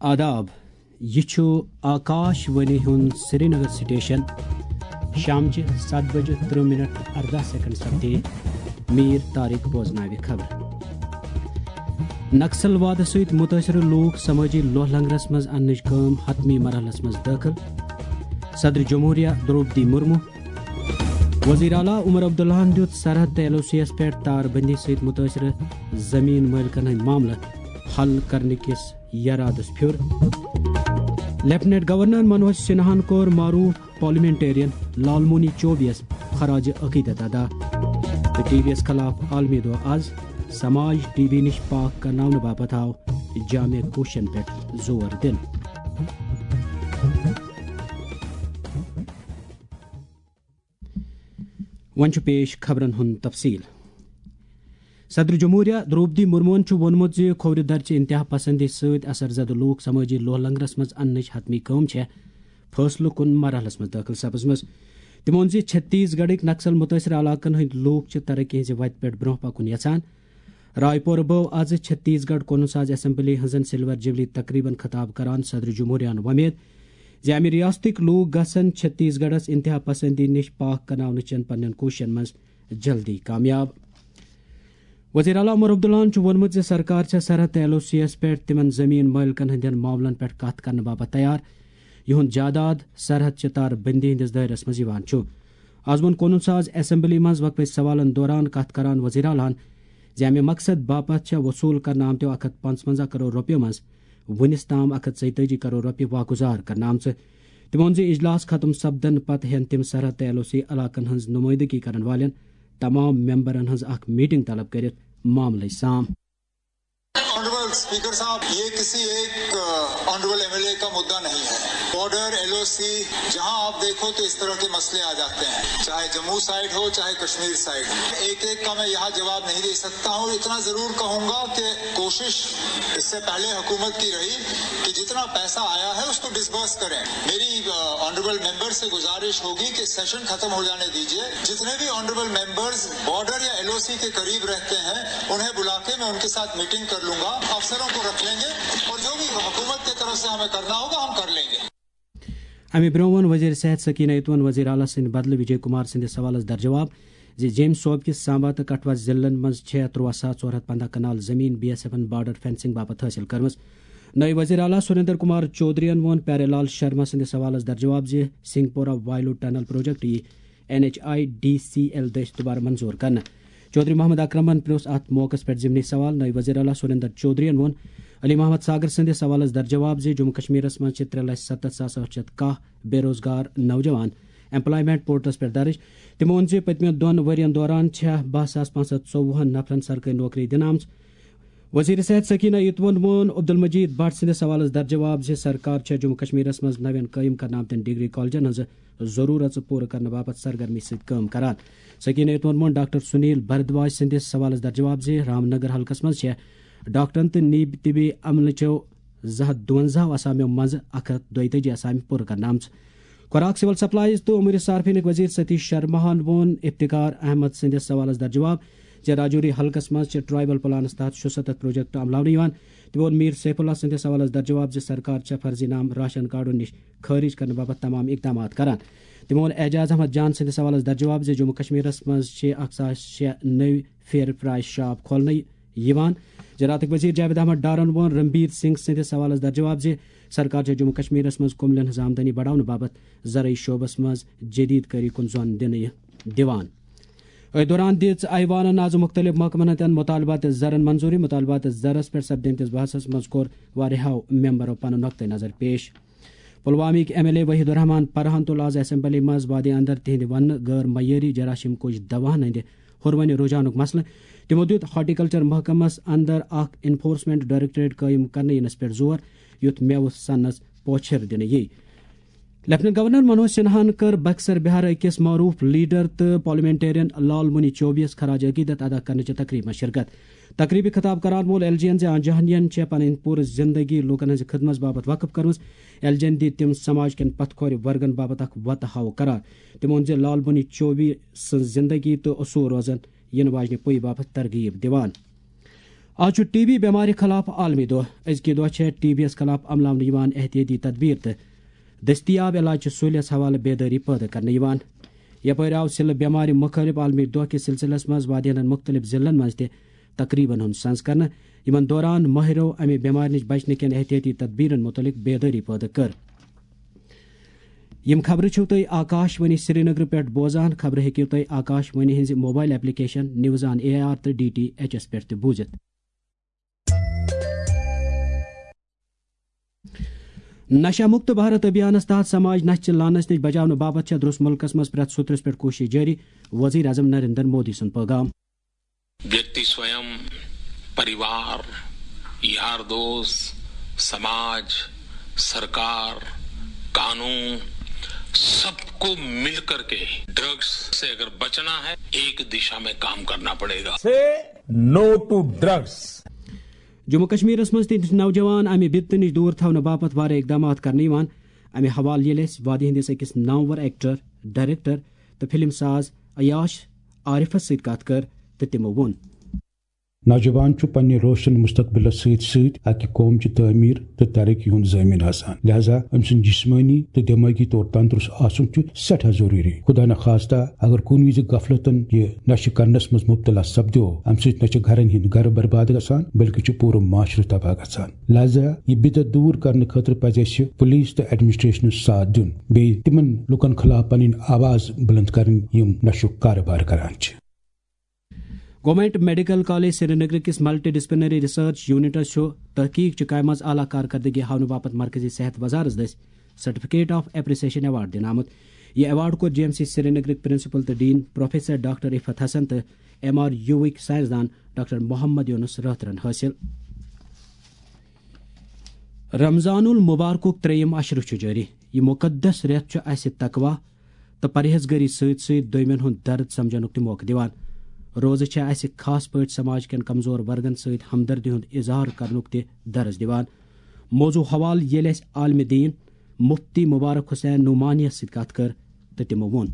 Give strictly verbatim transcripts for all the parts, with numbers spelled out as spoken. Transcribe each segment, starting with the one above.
آداب، یہِ چھُ آکاش وانی ہُنٛد سرینگر سٹیشن۔ شامچہِ ستھ بجہِ ترٕہ منٹ ارداہ سیکنڈ سپدے۔ میر طارق بوزناوِ خبر۔ نکسل وادٕ سۭتۍ مُتٲثرٕ لوٗکھ سمٲجی لوہ لنگرس منٛز اننٕچ کٲم حتمی مرحلس منٛز دٲخل۔ صدر جمہوریہ درٛوپدی مرمو۔ وزیر اعلیٰ عمر عبداللہن دیُت سرحد تہٕ ایل او سی یَس پٮ۪ٹھ تار بندی سۭتۍ مُتٲثرٕ زٔمیٖن مٲلکن ہٕنٛدۍ معاملہٕ حل کرنہٕ کِس یرادس پھیُر۔ لیفٹیننٹ گورنر منوج سنہاہن کوٚر معروف پارلیمنٹرین لالمونی چوبیس خراج عقیدت ادا۔ تہٕ ٹی وی یَس خلاف عالمی دۄہ از سماج ٹی بی نِش پاک کرناونہٕ باپتھ آو جامع کوششن پٮ۪ٹھ زور دِنہٕ۔ وۄنۍ چھُ پیش خبرن ہُنٛد تفصیل۔ صدر جمہوریہ درٛوپدی مرموہن چھُ ووٚنمُت زِ کھوورِ درچہِ انتہا پسندی سۭتۍ اثر زدٕ لوٗکھ سمٲجی لوہ لنگرس منٛز اننٕچ حتمی کٲم چھےٚ فٲصلہٕ کُن مرحلس منٛز دٲخل سپٕزمٕژ۔ تٔمۍ ووٚن زِ چھتیس گڑھٕکۍ نکسل مُتٲثر علاقن ہٕنٛدۍ لوٗکھ چھِ ترقی ہٕنٛزِ وتہِ پٮ۪ٹھ برٛونٛہہ پکُن یژھان۔ رائے پور بٲو آز چھتیس گڑھ قونوٗن ساز اسمبلی ہٕنٛزن سلور جوبلی تقریبن خطاب کران صدر جمہوریہن وۄمید زِ امہِ ریاستٕکۍ لوٗکھ گژھن چھتیس گڑھس انتہا پسندی نِش پاک کرناونہٕ چٮ۪ن پننٮ۪ن کوٗششن منٛز جلدی کامیاب۔ وزیر اعلیٰ عمر عبداللہن چھُ ووٚنمُت زِ سرکار چھےٚ سرحد تہٕ ایل او سی یَس پٮ۪ٹھ تِمن زٔمیٖن مٲلکن ہٕنٛدٮ۪ن معاملن پٮ۪ٹھ کتھ کرنہٕ باپتھ تیار، یِہُنٛد جائیداد سرحد چہِ تار بندی ہٕنٛدِس دٲیرس منٛز یِوان چھُ۔ از ووٚن قونوٗن ساز اسمبلی منٛز وقفہٕ سوالن دوران کتھ کران وزیر اعلیٰ ہن زِ امہِ مقصد باپتھ چھےٚ وصوٗل کرنہٕ آمتیو اکھ ہتھ پانٛژونٛزاہ کرور رۄپیو منٛز وُنِس تام اکھ ہتھ ژۄیتٲجی کرور رۄپیہِ واگُزار کرنہٕ آمژٕ۔ تٔمۍ ووٚن زِ اجلاس ختم سپدنہٕ پتہٕ ہٮ۪ن تِم سرحد تہٕ ایل او سی علاقن ہٕنٛز نُمٲیندگی کرن والٮ۪ن تمام ممبرن ہٕنٛز اکھ میٹنگ طلب کٔرِتھ معاملٕچ سام۔ ऑनरेबल स्पीकर साहब, ये किसी एक ऑनरेबल एमएलए का मुद्दा नहीं है। बॉर्डर, एलओसी, जहां आप देखो तो इस तरह के मसले आ जाते हैं, चाहे जम्मू साइड हो, चाहे कश्मीर साइड। एक एक का मैं यहाँ जवाब नहीं दे सकता हूँ। इतना जरूर कहूंगा कि कोशिश इससे पहले हुकूमत की रही कि जितना पैसा आया है उसको डिसबर्स करें। मेरी ऑनरेबल मेंबर से गुजारिश होगी कि सेशन खत्म हो जाने दीजिए। जितने भी ऑनरेबल मेंबर्स बॉर्डर या एलओसी के करीब रहते हैं, उन्हें बुला के मैं उनके साथ मीटिंग कर लूंगा। अफसरों को रख लेंगे और जो भी हुकूमत की तरफ से हमें करना होगा, हम कर लेंगे। امہِ برٛونٛہہ ووٚن وزیر صحت سکینہ یتوَن وزیر اعلیٰ سٕنٛدِ بدلہٕ وجے کمار سٕنٛدِس سوالس درجواب زِ جیٚمۍ صوبہٕ کِس سامبا تہٕ کٹھوا ضلعن منٛز چھےٚ ترٛوَاہ ساس ژور ہتھ پنٛداہ کنال زٔمیٖن B S even border fencing باپتھ حٲصِل کٔرمٕژ۔ نٲیِب وزیر اعلیٰ سریندر کمار چودھرین ووٚن پیارے لال شرما سٕنٛدِس سوالس درجواب زِ Singhpora Vailoo tunnel project یی N H I D C L دٔسۍ دُبارٕ منظور کرنہٕ۔ چودھری محمد اکرمن پرٛوژھ اتھ موقعس پٮ۪ٹھ ضمنی سوال۔ نٲیِب وزیر اعلیٰ سریندر چودھرین ووٚن علی محمد ساگر سٕنٛدِس سوالس درجواب زِ جموں کشمیرس منٛز چھِ ترٛےٚ لچھ ستتھ ساس ٲٹھ شیٚتھ کاہ بے روزگار نوجوان ایمپلائمنٹ پورٹلس پٮ۪ٹھ درٕج۔ تٔمۍ ووٚن زِ پٔتمٮ۪ن دۄن ؤرین دوران چھےٚ باہ ساس پانٛژھ ہتھ ژوٚوُہن نفرن سرکٲرۍ نوکری دِنہٕ آمٕژ۔ وزیر صحت سکینہ یتوَن ووٚن عبدالمجید بٹ سٕنٛدِس سوالس درجواب زِ سرکار چھےٚ جموں کشمیرس منٛز نوٮ۪ن قٲیِم کرنہٕ آمتٮ۪ن ڈگری کالجن ہٕنٛز ضروٗرژ پوٗرٕ کرنہٕ باپتھ سرگرمی سۭتۍ کٲم کران۔ سکینہ یتوَن ووٚن ڈاکٹر سنیل بھردواج سٕنٛدِس سوالس درجواب زِ رام نگر حلقس منٛز چھےٚ ڈاکٹرن تہٕ نیب طبی عملہٕ چٮ۪و زٕ ہتھ دُوَنزاہ آسامیو منٛزٕ اکھ ہتھ دۄیتٲجی آسامہِ پوٗرٕ کرنہٕ آمژٕ۔ خوراک، سول سپلائز تہٕ امور صارفینٕکۍ وزیر ستیش شرماہن ووٚن افتخار احمد سٕنٛدِس سوالس درجواب زِ راجوری حلقس منٛز چھِ ٹرائبل پلانس تحت شُستتھ پروجیکٹ عملاونہٕ یِوان۔ تٔمۍ ووٚن میر سیف اللہ سٕنٛدِس سوالس درجواب زِ سرکار چھےٚ فرضی نام راشن کارڈو نِش خٲرج کرنہٕ باپتھ تمام اقدامات کران۔ تٔمۍ ووٚن اعجاز احمد جان سٕنٛدِس سوالس درجواب زِ جموں کشمیرس منٛز چھِ اکھ ساس شےٚ نٔوۍ فیئر پرائس شاپ کھولنہٕ یِوان۔ زراعتٕکۍ وزیر جاوید احمد ڈارن ووٚن رنبیر سنگھ سٕنٛدِس سوالس درجواب زِ سرکار چھےٚ جموں کشمیرس منٛز کُملٮ۪ن ہٕنٛز آمدنی بڑاونہٕ باپتھ زرعی شعبس منٛز جدید کٲری کُن زون دِنہٕ یہِ دِوان۔ أتھۍ دوران دِژ ایوانن آز مُختٔلِف محکمن ہٕنٛدٮ۪ن مُطالباتِ زرن منظوٗری۔ مُطالباتِ زرس پٮ۪ٹھ سپدیمتِس بحثس منٛز کوٚر واریاہو ممبرو پنُن نقطہٕ نظر پیش۔ پلوامٕکۍ ایم ایل اے وحید الرحمان پرہان تُل آز اسمبلی منٛز وادی اندر تِہنٛدِ وننہٕ غٲر معیٲری جراثیم کش دواہن ہٕنٛدِ ہُروٕنہِ رجحانُک مسلہٕ۔ تِمو دیُت ہارٹیکلچر محکمس اندر اکھ انفورسمنٹ ڈائریکٹوریٹ قٲیِم کرنہٕ یِنس پٮ۪ٹھ زور، یُتھ مٮ۪وٕ سنس پوچھر دِنہٕ یِیہِ۔ لیفٹیننٹ گورنر منوج سنہاہن کٔر بکسر بہار أکِس معروف لیڈر تہٕ پارلیمنٹرین لال منی چوبیس خراج عقیدت ادا کرنٕچہِ تقریبہِ منٛز شرکت۔ تقریبہِ خطاب کران ووٚن ایل جی ین زِ آ جہانین چھےٚ پنٕنۍ پوٗرٕ زندگی لوٗکن ہٕنٛزِ خدمژ باپتھ وقف کٔرمٕژ۔ ایل جی ین دِتۍ تِم سماج کٮ۪ن پتھ کھورِ ورگن باپتھ اکھ وتہٕ ہاوٕ قرار۔ تٔمۍ ووٚن زِ لال منی چوبیس سٕنٛز زندگی تہٕ اصوٗل روزن یِنہٕ واجنہِ پُیہِ باپتھ ترغیب دِوان۔ آز چھُ ٹی بی بٮ۪مارِ خلاف عالمی دۄہ۔ أزکہِ دۄہ چھےٚ ٹی بی یَس خلاف عملاونہٕ یِوان احتیٲطی تدبیٖر تہٕ دٔستیاب علاج چہِ سہوٗلیژ حوالہٕ بیدٲری پٲدٕ کرنہٕ یِوان۔ یپٲرۍ آو سِلہٕ بٮ۪مارِ مُخٲلف عالمی دۄہ کِس سلسلس منٛز وادی ہٕنٛدٮ۪ن مُختٔلِف ضلعن منٛز تہِ تقریبن ہُنٛد سنز کرنہٕ۔ یِمن دوران مٲہرو امہِ بٮ۪مارِ نِش بچنہٕ کٮ۪ن احتیٲطی تدبیٖرن مُتعلق بیدٲری پٲدٕ کٔر۔ یِم خبرٕ چھِو تُہۍ آکاش وانی سرینگر پٮ۪ٹھ بوزان۔ خبرٕ ہیٚکِو تُہۍ آکاش وانی ہٕنٛزِ mobile application news on A R تہٕ ڈی ٹی ایچ ایس پٮ۪ٹھ تہِ بوٗزِتھ۔ نشہ مکت بھارت ابھیانس تحت سماج نشہ چہِ لعنتس نِش بچاونہٕ باپتھ چھےٚ درس ملکس منٛز پرٛٮ۪تھ سوٚترس پٮ۪ٹھ کوٗشش جٲری، وزیر اعظم نریندر مودی سُنٛد پیغام۔ व्यक्ति स्वयं, परिवार, यार दोस्त, समाज, सरकार, कानून, सबको मिलकर के ड्रग्स से अगर बचना है, एक दिशा में काम करना पड़ेगा। Say no to drugs. Jammu کشمیرس منٛز تہِ نوجوان امہِ بدتہٕ نِش دوٗر تھاونہٕ باپتھ واریاہ اقدامات کرنہٕ یِوان۔ امہِ حوالہٕ ییٚلہِ اسہِ وادی ہٕنٛدِس أکِس نامور ایکٹر، ڈائریکٹر تہٕ فلم ساز عیاش عارفس سۭتۍ کتھ کٔر تہٕ تِمو ووٚن۔ نوجوان چھُ پننہِ روشن مستقبلس سۭتۍ سۭتۍ اکہِ قوم چہِ تعمیر تہٕ ترقی ہُنٛد ضٲمن آسان، لہذا أمۍ سُنٛد جسمٲنی تہٕ دٮ۪مٲغی طور تندرست آسُن چھُ سٮ۪ٹھاہ ضروٗری۔ خدا نخواستہ اگر کُنہِ وِزِ غفلتن یہِ نشہٕ کرنس منٛز مبتلا سپدیو، امہِ سۭتۍ نہ چھِ گرن ہٕنٛدۍ گرٕ برباد گژھان، بلکہِ چھُ پوٗرٕ معاشرٕ تباہ گژھان۔ لہذا یہِ بدعت دوٗر کرنہٕ خٲطرٕ پزِ اسہِ پولیس تہٕ ایڈمنسٹریشنس ساتھ دیُن، بیٚیہِ تِمن لُکن خلاف پنٕنۍ آواز بلند کرٕنۍ یِم نشُک کارٕبار کران چھِ۔ گورنمنٹ میڈیکل کالج سرینگر کِس ملٹی ڈسپلنری ریسرچ یونٹس چھُ تحقیق چہِ کامہِ منٛز اعلیٰ کارکردگی ہاونہٕ باپتھ مرکزی صحت وزارت دٔسۍ سرٹیفکیٹ آف اپریسیشن ایوارڈ دِنہٕ آمُت۔ یہِ ایوارڈ کوٚر جی ایم سی سرینگرٕکۍ پرنسپل تہٕ ڈین پروفیسر ڈاکٹر رفعت حسن تہٕ ایم آر یوٗوٕکۍ سائنسدان ڈاکٹر محمد یونس رٲتھرن حٲصِل۔ رمضان المبارکُک ترٛیٚیِم عشرٕ چھُ جٲری۔ یہِ مُقدس رٮ۪تھ چھُ اَسہِ تقویٰ تہٕ پرہیزگٲری سۭتۍ سۭتۍ دویمٮ۪ن ہُنٛد درد سمجھنُک تہِ موقعہٕ دِوان۔ روزٕ چھِ اَسہِ خاص پٲٹھۍ سماج کٮ۪ن کمزور ورگن سۭتۍ ہمدردی ہُنٛد اظہار کرنُک تہِ درس دِوان۔ موضوع حوالہٕ ییٚلہِ اَسہِ عالمِ دین مفتی مبارک حسین نعمانیَس سۭتۍ کتھ کٔر تہٕ تِمو ووٚن۔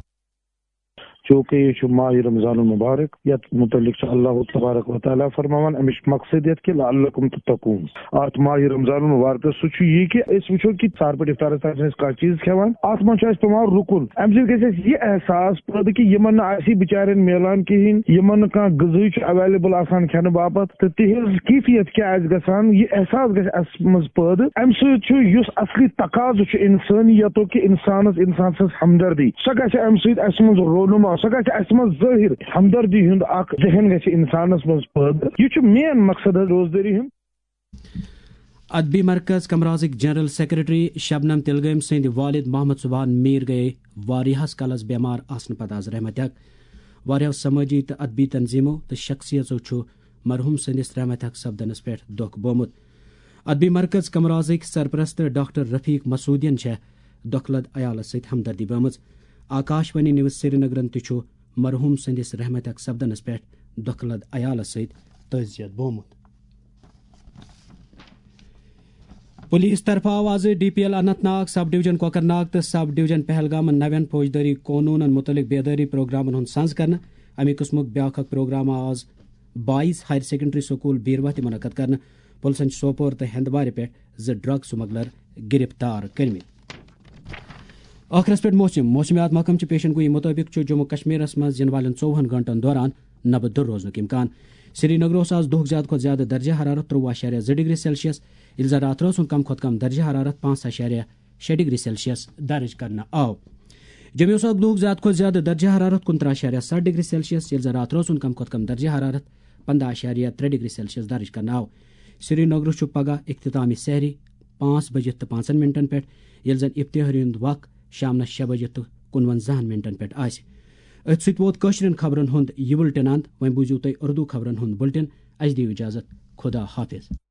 چونکہ یہ چھُ ماہ رمضان المبارک، یتھ متعلق چھُ اللہ تبارک و تعالیٰ فرماوان، امِچ مقصد یتھ کہ لعلکم تتقون۔ اتھ ماہ رمضان المبارکس سُہ چھُ یہِ کہ أسۍ وٕچھو کہ سحر پٮ۪ٹھ افطارس تام چھِ أسۍ کانٛہہ چیٖز کھٮ۪وان، اتھ منٛز چھُ اَسہِ پٮ۪وان رُکُن۔ امہِ سۭتۍ گژھِ اَسہِ یہِ احساس پٲدٕ کہ یِمن نہٕ آسہِ بِچارٮ۪ن میلان کِہیٖنۍ، یِمن نہٕ کانٛہہ غذہٕے چھُ اویلیبل آسان کھٮ۪نہٕ باپتھ، تہٕ تِہنٛز کیفیت کیٛاہ آسہِ گژھان، یہِ احساس گژھِ اَسہِ منٛز پٲدٕ۔ امہِ سۭتۍ چھُ یُس اصلی تقاضہٕ چھُ انسٲنیتُک کہ انسانس انسان سٕنٛز ہمدردی، سۄ گژھِ امہِ سۭتۍ اسہِ منٛز رونما، سۄ گژھِ اسہِ منٛز ظٲہر۔ ہمدردی ہُنٛد اکھ ذہن گژھِ انسانس منٛز پٲدٕ۔ یہِ چھُ مین مقصد حظ روزدٲری ہُنٛد۔ ادبی مرکز کمرازٕکۍ جنرل سیکرٹری شبنم تلگٲمۍ سٕنٛدۍ والد محمد سبحان میٖر گٔیے واریاہس کالس بٮ۪مار آسنہٕ پتہٕ از رحمتِ حق۔ واریاہو سمٲجی تہٕ ادبی تنظیمو تہٕ شخصیژو چھُ مرحوم سٕنٛدِس رحمتِ حق سپدنس پٮ۪ٹھ دۄکھ بومُت۔ ادبی مرکز کمرازٕکۍ سرپرست ڈاکٹر رفیق مسعودین چھےٚ دۄکھٕ لد عیالس سۭتۍ ہمدردی بٲمٕژ۔ آکاش وانی نیوز سرینگرن تہِ چھُ مرحوم سٕنٛدِس رحمتِ حق سپدنس پٮ۪ٹھ دۄکھٕ لد عیالس سۭتۍ تعزیت بومُت۔ پولیس طرفہٕ آو آز D P L Anant Nag, سب ڈویژن کوکرناگ تہٕ سب ڈویژن پہلگامن نوٮ۪ن فوجدٲری قونوٗنن مُتعلق بیدٲری پروگرامن ہُنٛد سنز کرنہٕ۔ اَمہِ قٕسمُک بیٛاکھ اکھ پروگرام آو آز boys higher secondary school Beerwah تہِ منعقد کرنہٕ۔ پُلسن چھِ سوپور تہٕ ہندوارِ پٮ۪ٹھ زٕ ڈرگ سمگلر گرفتار کٔرمٕتۍ۔ ٲخرس پٮ۪ٹھ موسم۔ موسمیات محکمہٕ چہِ پیشن گویی مُطٲبِق چھُ جموں کشمیرس منٛز یِنہٕ والٮ۪ن ژووُہن گھنٹن دوران نبہٕ دُر روزنُک امکان۔ سرینگرس آز دۄہُک زیادٕ کھۄتہٕ زیادٕ درجہ حرارت ترٛووُہ اعشاریہ زٕ ڈگری سیلسیس، ییٚلہِ زن راتھ رٲژ ہُنٛد کم کھۄتہٕ کم درجہ حرارت پانٛژھ اعشاریہ شےٚ ڈگری سیلسیس درج کرنہٕ آو۔ جوٚمیوس آو دۄہُک زیادٕ کھۄتہٕ زیادٕ درجہ حرارت کُنترٕہ اعشاریہ ستھ ڈگری سیلسیس، ییٚلہِ زن راتھ رٲژ ہُنٛد کم کھۄتہٕ کم درجہ حرارت پنٛداہ اعشاریہ ترٛےٚ ڈگری سیلسیس درج کرنہٕ آو۔ سرینگرس چھُ پگہہ اختتام سحری پانٛژھ بجہِ تہٕ پانٛژن منٹن پٮ۪ٹھ، ییٚلہِ زن افتحٲری ہُنٛد وق شامنس شےٚ بجہِ تہٕ کُنوَنزاہن منٹن پٮ۪ٹھ آسہِ۔ أتھۍ سۭتۍ ووت کٲشرٮ۪ن خبرن ہُنٛد یہِ بُلٹن اند۔ وۄنۍ بوٗزِو تُہۍ اردو خبرن ہُنٛد بُلٹن۔ اَسہِ دِیِو اجازت۔ خدا حافظ۔